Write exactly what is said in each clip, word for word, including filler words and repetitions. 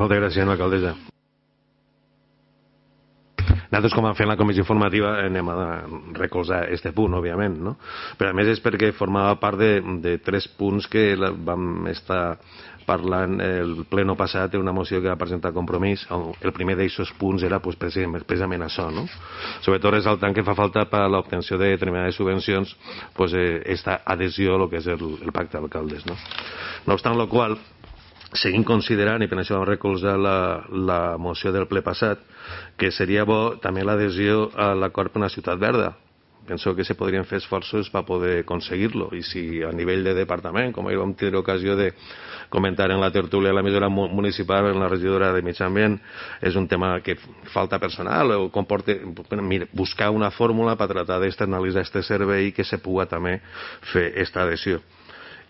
Moltes gràcies, alcaldessa. Nosaltres, com vam fer en la comissió informativa, anem a recolzar este punt, òbviament, no? Però a més és perquè formava part de, de tres punts que la, vam estar parlant el pleno passat en una moció que va presentar Compromís. El primer d'aquests punts era pues, precisament això, no? Sobretot resaltant que fa falta per a l'obtenció de determinades subvencions pues, eh, esta adhesió a lo que és el, el pacte d'alcaldes, no? No obstant la qual, seguim considerant, i per això vam recolzar la, la moció del ple passat, que seria bo també l'adhesió a l'acord per una ciutat verda. Penso que se podrien fer esforços per poder aconseguir-lo, i si a nivell de departament, com ahir vam tenir ocasió de comentar en la tertúlia de la mesura municipal en la regidora de Mig Ambient, és un tema que falta personal o comporta buscar una fórmula per tratar d'externalitzar aquest servei que se pugui també fer aquesta adhesió.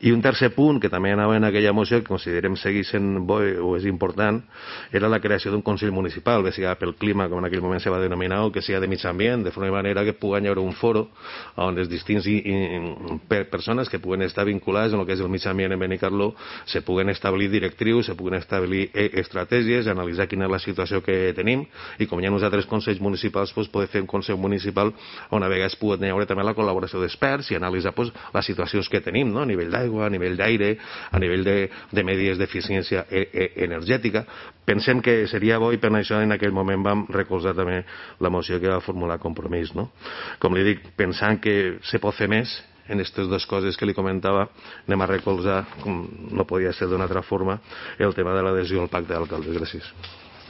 I un tercer punt, que també anava en aquella moció, que considerem seguir sent bo o és important, era la creació d'un Consell Municipal, bé sigui pel clima, com en aquell moment se va denominar, o que sigui de mig ambient, de forma i manera que pugui haver un foro on les distintes persones que puguen estar vinculades en el que és el mig ambient en Benicarló se puguen establir directrius, se puguen establir estratègies, analitzar quina és la situació que tenim, i com hi ha uns altres consells municipals, doncs, poder fer un Consell Municipal on a vegades pugui haver també la col·laboració d'experts i analitzar doncs, les situacions que tenim, no? A nivell d'aigua, a nivell d'aire, a nivell de, de medides d'eficiència e e energètica. Pensem que seria bo i per això en aquell moment vam recolzar també la moció que va formular Compromís, no? Com li dic, pensant que se pot fer més en aquestes dues coses que li comentava, anem a recolzar, com no podia ser d'una altra forma, el tema de l'adhesió al pacte d'alcaldes. Gràcies.